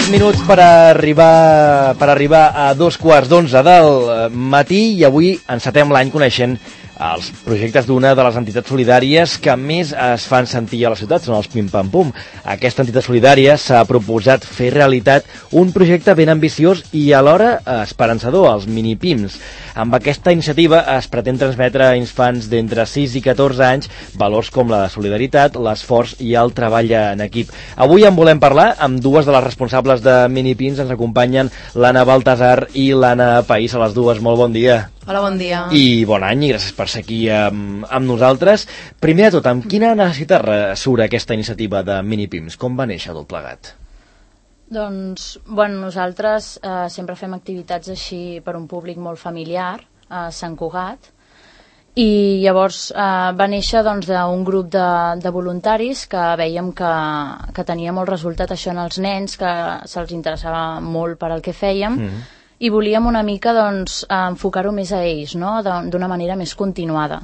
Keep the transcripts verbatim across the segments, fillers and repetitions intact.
tres minuts per arribar per arribar a dos quarts d'onze del matí i avui encetem l'any coneixent els projectes d'una de les entitats solidàries que més es fan sentir a la ciutat, són els Pim Pam Pum. Aquesta entitat solidària s'ha proposat fer realitat un projecte ben ambiciós i alhora esperançador, els mini-pims. Amb aquesta iniciativa es pretén transmetre a infants d'entre sis i catorze anys valors com la solidaritat, l'esforç i el treball en equip. Avui en volem parlar amb dues de les responsables de mini-pims. Ens acompanyen l'Anna Baltasar i l'Anna País. A les dues, molt bon dia. Hola, bon dia. I bon any, i gràcies per ser aquí amb, amb nosaltres. Primer de tot, amb quina necessitat surt aquesta iniciativa de mini-pims? Com va néixer tot plegat? Doncs, bueno, nosaltres eh, sempre fem activitats així per un públic molt familiar, a Sant Cugat, i llavors eh, va néixer doncs, d'un grup de, de voluntaris que veiem que, que tenia molt resultat això en els nens, que se'ls interessava molt per al que fèiem, mm-hmm. i volíem una mica doncs, enfocar-ho més a ells, no? D'una manera més continuada.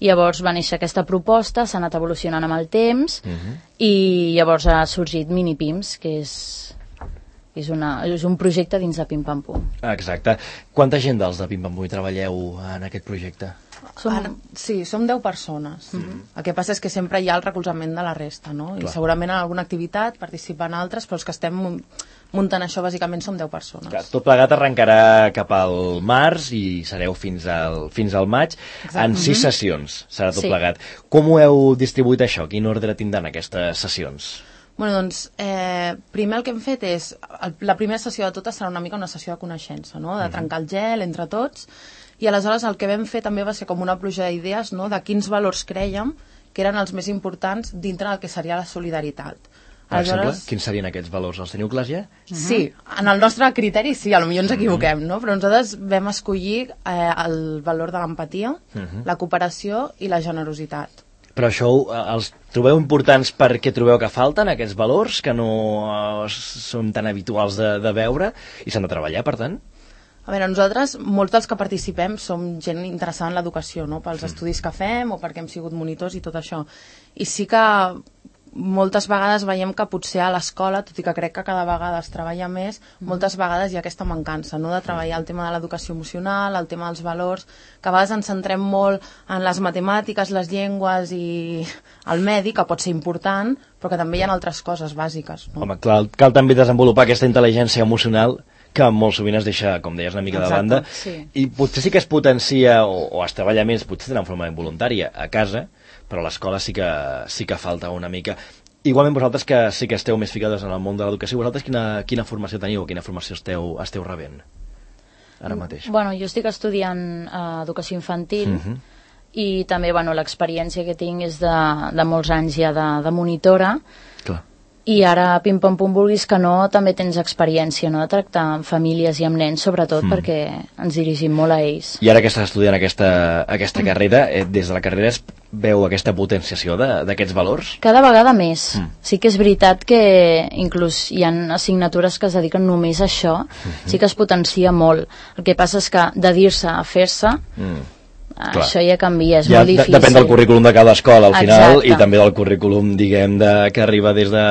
Llavors va néixer aquesta proposta, s'ha anat evolucionant amb el temps, uh-huh. i llavors ha sorgit Mini-Pims, que és, és, una, és un projecte dins de Pim Pam Pum. Exacte. Quanta gent dels de Pim Pam Pum hi treballeu en aquest projecte? Som... Ara, sí, som deu persones. Uh-huh. El que passa és que sempre hi ha el recolzament de la resta, no? I Clar. segurament en alguna activitat participen altres, però els que estem muntant això bàsicament som deu persones. Clar, tot plegat arrencarà cap al març i sereu fins al, fins al maig. Exacte. En sis sessions serà tot sí. plegat. Com ho heu distribuït això? Quin ordre tindran aquestes sessions? Bueno, doncs, eh, primer el que hem fet és, el, la primera sessió de totes serà una mica una sessió de coneixença, no? De trencar el gel entre tots, i aleshores el que vam fer també va ser com una pluja d'idees, no? De quins valors crèiem que eren els més importants dintre del que seria la solidaritat. Per exemple, quins serien aquests valors? Els teniu clars ja? Sí, en el nostre criteri sí, potser ens equivoquem, no? Però nosaltres vam escollir eh, el valor de l'empatia, uh-huh. la cooperació i la generositat. Però això els trobeu importants perquè trobeu que falten aquests valors que no eh, són tan habituals de, de veure i s'han de treballar, per tant? A veure, nosaltres, molts dels que participem som gent interessada en l'educació, no? Pels mm. estudis que fem o perquè hem sigut monitors i tot això. I sí que moltes vegades veiem que potser a l'escola, tot i que crec que cada vegada es treballa més, mm. moltes vegades hi ha aquesta mancança, no? De treballar el tema de l'educació emocional, el tema dels valors, que a vegades ens centrem molt en les matemàtiques, les llengües i el medi, que pot ser important, però que també hi ha altres coses bàsiques, no? Home, clar, cal també desenvolupar aquesta intel·ligència emocional que molt sovint es deixa, com deies, una mica Exacte, de banda, sí. i potser sí que es potencia o, o es treballa més, potser de forma involuntària a casa, però a l'escola sí que, sí que falta una mica. Igualment vosaltres que sí que esteu més ficades en el món de l'educació, vosaltres quina, quina formació teniu o quina formació esteu, esteu rebent ara mateix? Bueno, jo estic estudiant eh, educació infantil, uh-huh. i també bueno, l'experiència que tinc és de, de molts anys ja de, de monitora. Clar. I ara, Pim Pam Pum, vulguis que no, també tens experiència, no?, de tractar amb famílies i amb nens, sobretot mm. perquè ens dirigim molt a ells. I ara que estàs estudiant aquesta, aquesta mm. carrera, eh, des de la carrera es veu aquesta potenciació d'aquests valors? Cada vegada més. Mm. Sí que és veritat que inclús hi ha assignatures que es dediquen només a això, mm-hmm. sí que es potencia molt. El que passa és que de dir-se a fer-se... Mm. Clar. Això ja canvia, és ja molt difícil. Depèn del currículum de cada escola al final. Exacte. I també del currículum, diguem, de, que arriba des de,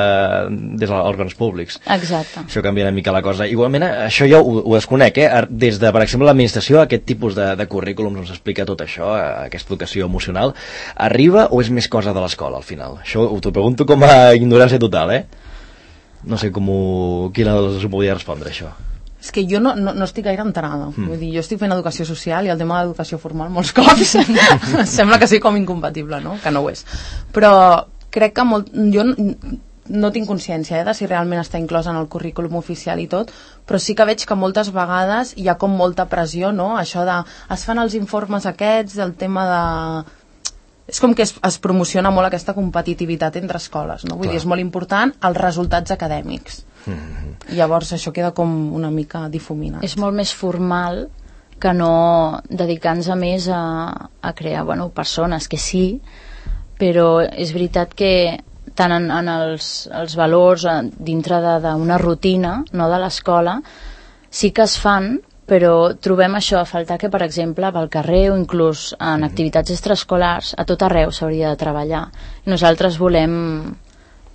des dels òrgans públics. Exacte. Això canvia una mica la cosa. Igualment, això ja ho, ho desconec, eh? Des de, per exemple, l'administració, aquest tipus de, de currículums ens explica tot això, aquesta educació emocional, arriba o és més cosa de l'escola al final? Això t'ho pregunto com a ignorància total, eh? No sé com ho, quina de les us podia respondre, això. És que jo no, no, no estic gaire enterada. Mm. Vull dir, jo estic fent educació social i el tema de l'educació formal molts cops sembla que sigui com incompatible, no? Que no ho és. Però crec que molt, jo no, no tinc consciència eh, de si realment està inclòs en el currículum oficial i tot, però sí que veig que moltes vegades hi ha com molta pressió, no? Això de... Es fan els informes aquests del tema de... És com que es, es promociona molt aquesta competitivitat entre escoles, no? Vull Clar. dir, és molt important els resultats acadèmics. Mm-hmm. Llavors això queda com una mica difuminat. És molt més formal que no dedicar-nos a més a, a crear bueno, persones, que sí, però és veritat que tant en, en els, els valors dintre d'una rutina, no, de l'escola, sí que es fan, però trobem això a faltar que, per exemple, pel carrer o inclús en activitats extraescolars, a tot arreu s'hauria de treballar. I nosaltres volem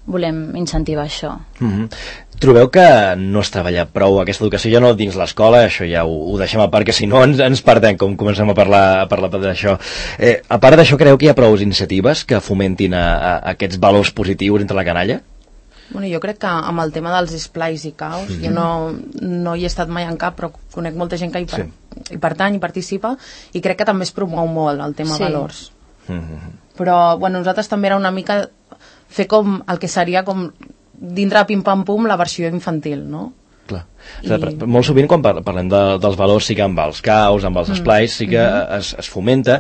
volem incentivar això. Mm-hmm. Trobeu que no es treballa prou aquesta educació ja no dins l'escola, això ja ho, ho deixem a part, que si no ens, ens perdem com comencem a parlar, a parlar d'això. Eh, a part d'això, creu que hi ha prou iniciatives que fomentin a, a aquests valors positius entre la canalla? Bueno, jo crec que amb el tema dels esplais i caos, mm-hmm. jo no, no hi he estat mai en cap, però conec molta gent que hi, per, sí. hi pertany, hi participa, i crec que també es promou molt el tema sí. valors. Mm-hmm. Però, bueno, nosaltres també era una mica fer com el que seria com dintre de Pim Pam Pum la versió infantil, no? Clar. I... O sigui, molt sovint quan parlem de, dels valors sí que amb els caos, amb els esplais sí que mm-hmm. es, es fomenta,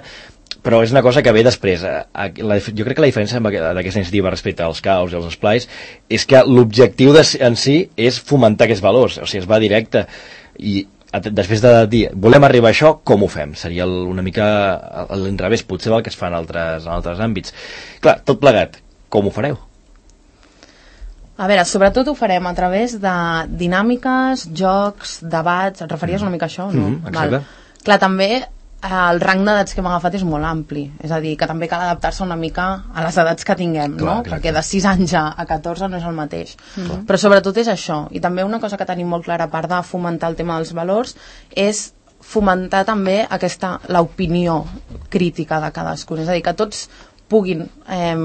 però és una cosa que ve després. La, jo crec que la diferència d'aquesta iniciativa respecte als caos i als esplais és que l'objectiu en si és fomentar aquests valors, o sigui, es va directe i després de dir, volem arribar a això, com ho fem? Seria una mica a l'inrevés, potser del que es fa en altres, en altres àmbits. Clar, tot plegat, com ho fareu? A veure, sobretot ho farem a través de dinàmiques, jocs, debats. Et referies una mica a això, no? Mm, exacte. Val. Clar, també el rang d'edats que hem agafat és molt ampli, és a dir, que també cal adaptar-se una mica a les edats que tinguem, clar, no? Exacte. Perquè de sis anys a catorze no és el mateix. Mm-hmm. Però sobretot és això. I també una cosa que tenim molt clara, a part de fomentar el tema dels valors, és fomentar també aquesta l'opinió crítica de cadascun. És a dir, que tots puguin eh,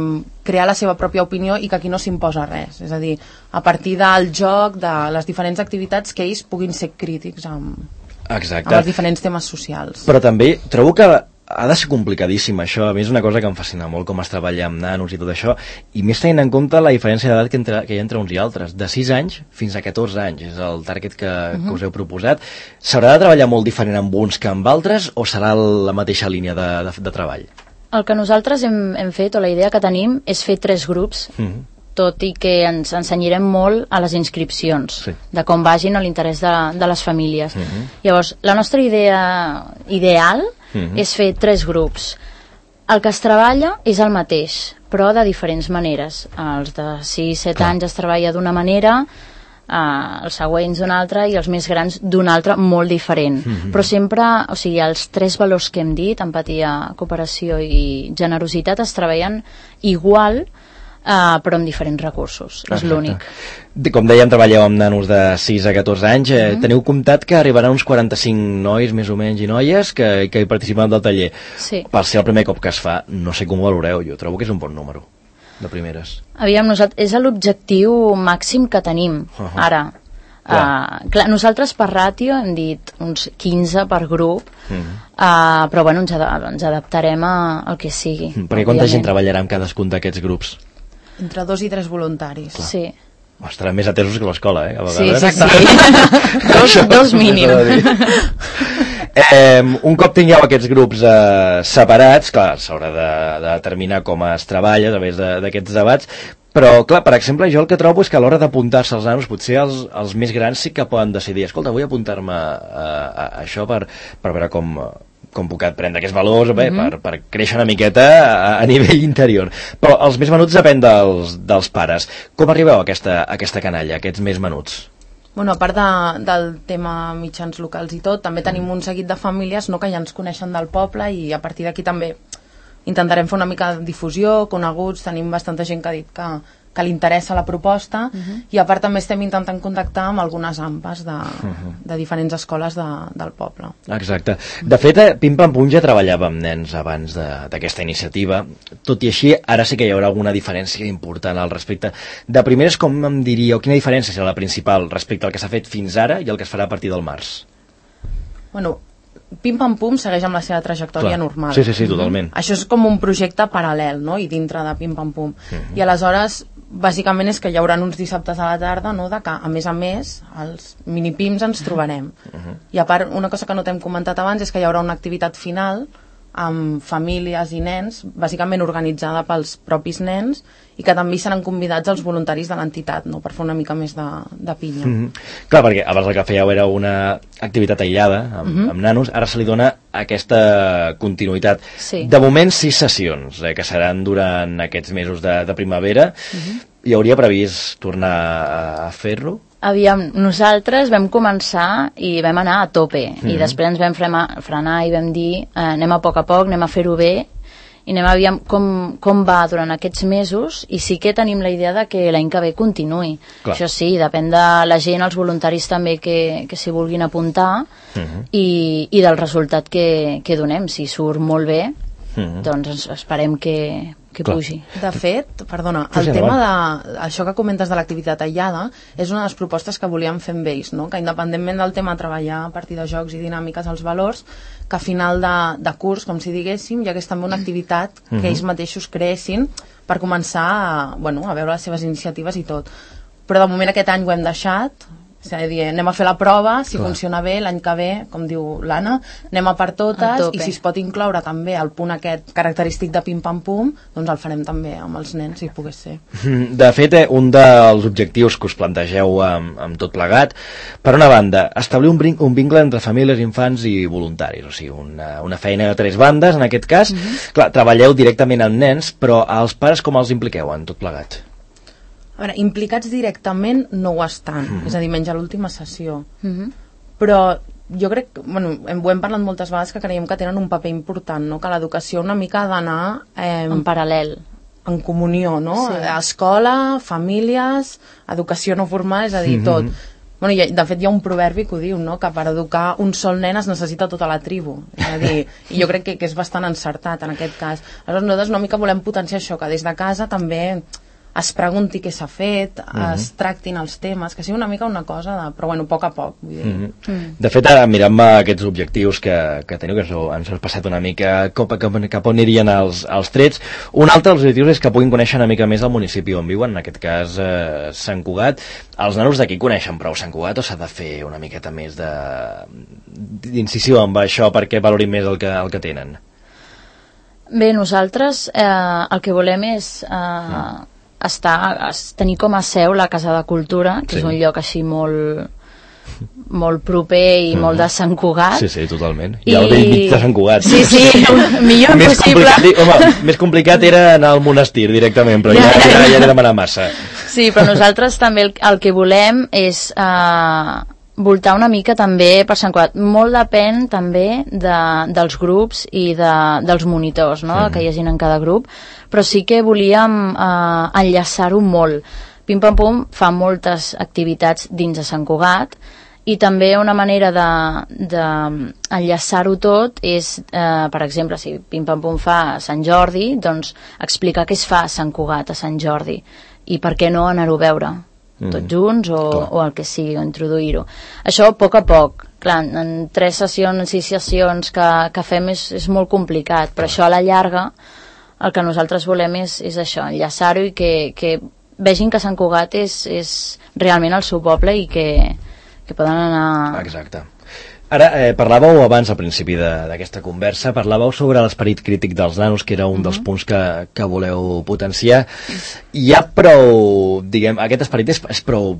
crear la seva pròpia opinió i que aquí no s'imposa res. És a dir, a partir del joc, de les diferents activitats, que ells puguin ser crítics amb, amb els diferents temes socials. Però també trobo que ha de ser complicadíssim això. A mi és una cosa que em fascina molt com es treballa amb nanos i tot això, i més tenint en compte la diferència d'edat que, entre, que hi ha entre uns i altres. De sis anys fins a catorze anys és el target que, uh-huh. que us heu proposat. S'haurà de treballar molt diferent amb uns que amb altres o serà la mateixa línia de, de, de treball? El que nosaltres hem, hem fet, o la idea que tenim, és fer tres grups, mm-hmm. tot i que ens ensenyarem molt a les inscripcions, sí. de com vagin a l'interès de, de les famílies. Mm-hmm. Llavors, la nostra idea ideal mm-hmm. és fer tres grups. El que es treballa és el mateix, però de diferents maneres. Els de sis set anys es treballa d'una manera, Uh, els següents d'una altra i els més grans d'una altra molt diferent. Mm-hmm. Però sempre, o sigui, els tres valors que hem dit, empatia, cooperació i generositat, es treballen igual, uh, però amb diferents recursos. Exacte. És l'únic. Com dèiem, treballeu amb nanos de sis a catorze anys. Eh, mm-hmm. Teniu comptat que arribaran uns quaranta-cinc nois, més o menys, i noies que, que hi participen del taller. Sí. Per ser el primer cop que es fa, no sé com ho valoreu, jo trobo que és un bon número de primeres. Aviam, nosaltres, és l'objectiu màxim que tenim uh-huh. ara. Clar. Uh, clar, nosaltres per ràtio hem dit uns quinze per grup, uh-huh. uh, però bueno, ens, ad ens adaptarem a, al que sigui. Uh-huh. Perquè quanta gent treballarà amb cadascun d'aquests grups? Entre dos i tres voluntaris. Clar. Sí. Ostres, més atesos que l'escola, eh? A vegades. Sí, sí, sí. dos, dos mínim. Eh, un cop tingueu aquests grups eh, separats, clar, s'haurà de, de determinar com es treballa a través d'aquests debats, però, clar, per exemple, jo el que trobo és que a l'hora d'apuntar-se als nanos, potser els, els més grans sí que poden decidir, escolta, vull apuntar-me a, a, a això per, per veure com, com puc aprendre aquests valors, bé, mm-hmm. per, per créixer una miqueta a, a nivell interior. Però els més menuts depèn dels, dels pares. Com arribeu a aquesta, a aquesta canalla, a aquests més menuts? Bueno, a part de, del tema mitjans locals i tot, també tenim un seguit de famílies, no, que ja ens coneixen del poble, i a partir d'aquí també intentarem fer una mica de difusió, coneguts, tenim bastanta gent que ha dit que, que li interessa la proposta, uh-huh. i a part també estem intentant contactar amb algunes AMPAs de, uh-huh. de diferents escoles de, del poble. Exacte. De fet, Pim Pam Pum ja treballava amb nens abans d'aquesta iniciativa, tot i així ara sí que hi haurà alguna diferència important al respecte. De primeres, com em diríeu, quina diferència serà la principal respecte al que s'ha fet fins ara i el que es farà a partir del març? Bueno, Pim Pam Pum segueix amb la seva trajectòria Clar. normal. Sí, sí, sí, totalment. Això és com un projecte paral·lel, no?, i dintre de Pim Pam Pum. Uh-huh. I aleshores, bàsicament és que hi haurà uns dissabtes a la tarda, no?, de que, a més a més, els minipims ens trobarem. Uh-huh. I a part, una cosa que no t'hem comentat abans és que hi haurà una activitat final amb famílies i nens, bàsicament organitzada pels propis nens, i que també seran convidats els voluntaris de l'entitat, no?, per fer una mica més de, de pinya. Mm-hmm. Clar, perquè abans el que fèieu era una activitat aïllada amb, mm-hmm. amb nanos, ara se li dona aquesta continuïtat. Sí. De moment, sis sessions, eh, que seran durant aquests mesos de, de primavera. Mm-hmm. Hi hauria previst tornar a, a fer-lo? Aviam, nosaltres vam començar i vam anar a tope, mm-hmm. i després ens vam frenar, frenar i vam dir eh, anem a poc a poc, anem a fer-ho bé, i anem a veure com, com va durant aquests mesos, i sí que tenim la idea de que l'any que ve continuï. Clar. Això sí, depèn de la gent, els voluntaris també que, que s'hi vulguin apuntar, uh-huh. i, i del resultat que, que donem. Si surt molt bé, uh-huh. doncs esperem que, que pugi. De fet, perdona, el sí, tema de això que comentes de l'activitat aïllada és una de les propostes que volíem fer amb ells, no? Que independentment del tema de treballar a partir de jocs i dinàmiques els valors, que a final de, de curs, com si diguéssim, hi hagués també una activitat que uh-huh. ells mateixos creessin per començar a, bueno, a veure les seves iniciatives i tot. Però de moment aquest any ho hem deixat. És a dir, anem a fer la prova, si Clar. funciona bé, l'any que ve, com diu l'Anna, anem a per totes, i si es pot incloure també el punt aquest característic de pim-pam-pum, doncs el farem també amb els nens, si pogués ser. De fet, un dels objectius que us plantegeu amb, amb tot plegat, per una banda, establir un, un vincle entre famílies, infants i voluntaris, o sigui, una, una feina de tres bandes, en aquest cas. Mm-hmm. Clar, treballeu directament amb nens, però als pares com els impliqueu en tot plegat? A veure, implicats directament no ho estan, mm-hmm. és a dir, menys a l'última sessió. Mm-hmm. Però jo crec, bueno, hem, ho hem parlat moltes vegades, que creiem que tenen un paper important, no? Que l'educació una mica ha d'anar... Eh, en paral·lel. En comunió, no? Sí. Escola, famílies, educació no formal, és a dir, mm-hmm. tot. Bueno, i, de fet hi ha un proverbi que ho diu, no? Que per educar un sol nen es necessita tota la tribu, és a dir, i jo crec que, que és bastant encertat en aquest cas. Aleshores nosaltres una mica volem potenciar això, que des de casa també es pregunti què s'ha fet, mm-hmm. es tractin els temes, que sigui una mica una cosa de... però bueno, a poc a poc, vull dir. Mm-hmm. Mm. De fet, ara mirant aquests objectius que, que teniu, que ens heu passat una mica cap, cap, cap on anirien els, els trets, un altre dels objectius és que puguin conèixer una mica més el municipi on viuen, en aquest cas eh, Sant Cugat. Els nanos d'aquí coneixen prou Sant Cugat o s'ha de fer una miqueta més de d'incisió amb això perquè valorin més el que, el que tenen? Bé, nosaltres eh, el que volem és... Eh, mm. Està, tenir com a seu la Casa de Cultura, que sí. és un lloc així molt molt proper i mm. molt de Sant Cugat. Sí, sí, totalment. I, I al vell mig de Sant Cugat. Sí, sí, millor més possible. Complicat, home, més complicat era anar al monestir directament, però ja, ja, ja, ja era demanar massa. Sí, però nosaltres també el, el que volem és... Eh, voltar una mica també per Sant Cugat. Molt depèn també de, dels grups i de, dels monitors, no? Mm. Que hi hagin en cada grup, però sí que volíem eh, enllaçar-ho molt. Pim Pam Pum fa moltes activitats dins de Sant Cugat i també una manera de, de enllaçar-ho tot és, eh, per exemple, si Pim Pam Pum fa a Sant Jordi, doncs explicar què es fa a Sant Cugat a Sant Jordi i per què no anar-ho a veure tots junts o, o el que sigui, o introduir-ho. Això a poc a poc. Clar, en tres sessions, en sis sessions que, que fem és, és molt complicat, però això a la llarga el que nosaltres volem és, és això, enllaçar-ho i que, que vegin que Sant Cugat és, és realment el seu poble i que, que poden anar... Exacte. Ara, eh, parlàveu abans, al principi d'aquesta conversa, parlàveu sobre l'esperit crític dels nanos, que era un uh-huh. dels punts que, que voleu potenciar. Hi ha prou, diguem, aquest esperit és, és prou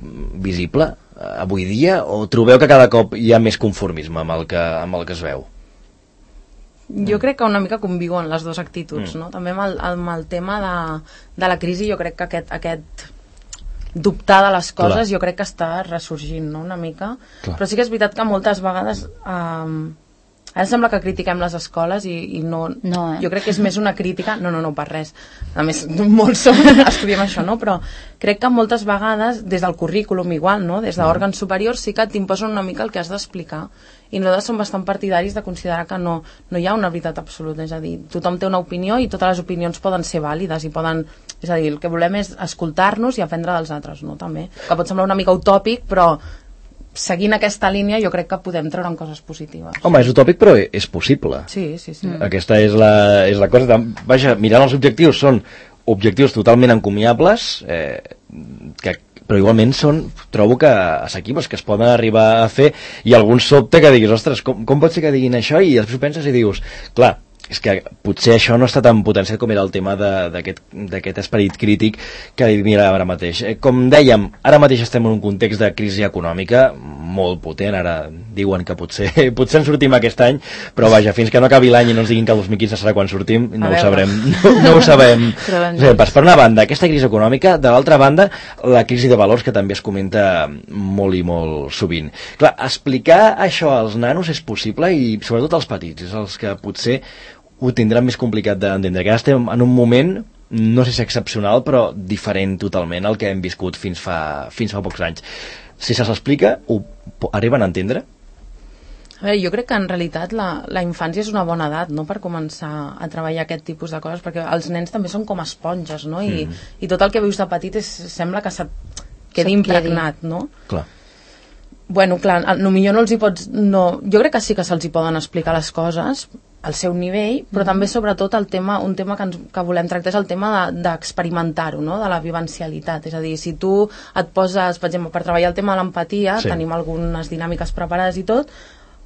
visible eh, avui dia, o trobeu que cada cop hi ha més conformisme amb el que, amb el que es veu? Jo crec que una mica conviuen les dues actituds, mm. no? També amb el, amb el tema de, de la crisi, jo crec que aquest... aquest dubtar de les coses, Clar. jo crec que està ressorgint, no?, una mica. Clar. Però sí que és veritat que moltes vegades eh, ara sembla que critiquem les escoles i, i no, no eh? jo crec que és més una crítica, no, no, no, per res, a més, molts som, estudiem això, no?, però crec que moltes vegades, des del currículum igual, no?, des d'òrgans superiors sí que t'imposen una mica el que has d'explicar, i nosaltres som bastant partidaris de considerar que no, no hi ha una veritat absoluta, és a dir, tothom té una opinió i totes les opinions poden ser vàlides i poden, és a dir, el que volem és escoltar-nos i aprendre dels altres, no?, també, que pot semblar una mica utòpic, però seguint aquesta línia jo crec que podem treure coses positives. Home, és utòpic però és possible. Sí, sí, sí. Mm. Aquesta és la, és la cosa. Vaja, mirant els objectius, són objectius totalment encomiables, eh, que, però igualment són, trobo que assequibles, que es poden arribar a fer, i algun sobte que diguis, ostres, com, com pot ser que diguin això? I després penses i dius, clar, és que potser això no està tan potenciat com era el tema d'aquest esperit crític que mira ara mateix. Com dèiem, ara mateix estem en un context de crisi econòmica molt potent, ara diuen que potser potser en sortim aquest any, però vaja, fins que no acabi l'any i no ens diguin que el dos mil quinze serà quan sortim, no ho sabrem. No, no ho sabem. Per una banda, aquesta crisi econòmica, de l'altra banda, la crisi de valors que també es comenta molt i molt sovint. Clar, explicar això als nanos és possible i sobretot als petits, és els que potser ho tindran més complicat d'entendre, que ara estem en un moment, no sé si excepcional, però diferent totalment al que hem viscut fins fa, fins fa pocs anys. Si se s'explica, ho arriben a entendre? A veure, jo crec que en realitat la, la infància és una bona edat, no?, per començar a treballar aquest tipus de coses, perquè els nens també són com esponges, no?, I, mm. i tot el que vius de petit és, sembla que se't quedi impregnat, no? Clar. Bueno, clar, potser no els hi pots... No, jo crec que sí que se'ls hi poden explicar les coses al seu nivell, però mm. també sobretot el tema, un tema que, ens, que volem tractar és el tema d'experimentar-ho, no?, de la vivencialitat. És a dir, si tu et poses, per exemple, per treballar el tema de l'empatia, sí. tenim algunes dinàmiques preparades i tot,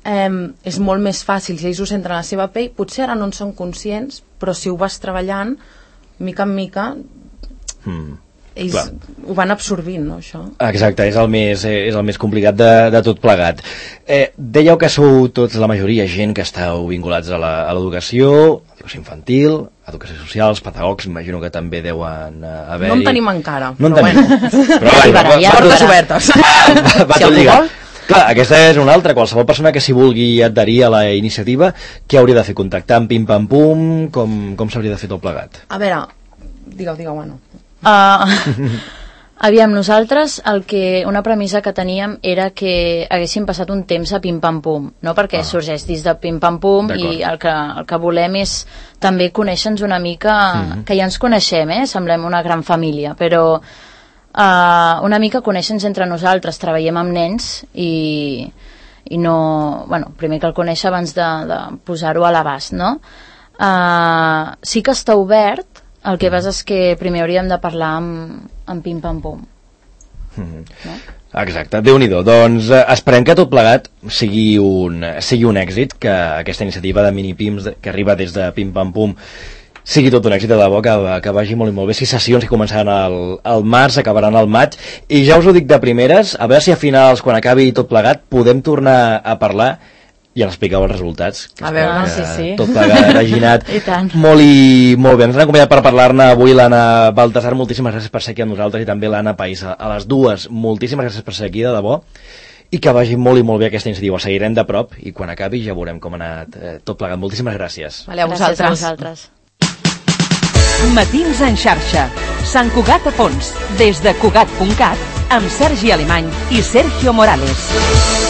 Eh, és molt més fàcil si ells ho senten a la seva pell, potser ara no en són conscients, però si ho vas treballant mica en mica mm, ells clar. Ho van absorbint, no, això? Exacte, és el més, eh, és el més complicat de, de tot plegat. Eh, dèieu que sou tots, la majoria, gent que esteu vinculats a l'educació, educació infantil, educació social, els pedagogs, imagino que també deuen haver-hi... No en tenim encara, no però bueno. Però va, ja portes obertes. Va, va tot lligat. Clar, aquesta és una altra. Qualsevol persona que s'hi vulgui adherir a la iniciativa, què hauria de fer? Contactar amb Pim Pam Pum? Com, com s'hauria de fer tot plegat? A veure, digueu, digueu, bueno. Uh, aviam, nosaltres el que, una premissa que teníem era que haguéssim passat un temps a Pim Pam Pum, no? Perquè ah. sorgeix dins de Pim Pam Pum i el que, el que volem és també conèixer-nos una mica, mm-hmm. que ja ens coneixem, eh? Semblem una gran família, però... Uh, una mica conèixer-nos entre nosaltres, treballem amb nens i, i no... Bueno, primer que el conèixer abans de, de posar-ho a l'abast, no? Uh, sí que està obert, el que passa és que primer hauríem de parlar amb, amb Pim Pam Pum. Mm-hmm. No? Exacte, Déu-n'hi-do. Doncs eh, esperem que tot plegat sigui un, sigui un èxit, que aquesta iniciativa de mini-pims que arriba des de Pim Pam Pum sigui tot un èxit de debò, que, que vagi molt i molt bé. Sis sessions que començaran al, al març, acabaran al maig, i ja us ho dic de primeres, a veure si a finals, quan acabi tot plegat, podem tornar a parlar i ens expliqueu els resultats. A veure, ah, sí, sí. Tot plegat ha ginat molt i molt bé. Ens han acompanyat per parlar-ne avui l'Anna Baltasar, moltíssimes gràcies per ser aquí amb nosaltres, i també l'Anna Paisa, a les dues, moltíssimes gràcies per ser aquí, de debò, i que vagi molt i molt bé aquesta iniciativa. La seguirem de prop i quan acabi ja veurem com ha anat eh, tot plegat. Moltíssimes gràcies. Vale, a vosaltres. Gràcies a vosaltres. Matins en xarxa. Sant Cugat a fons. Des de Cugat punt cat amb Sergi Alemany i Sergio Morales.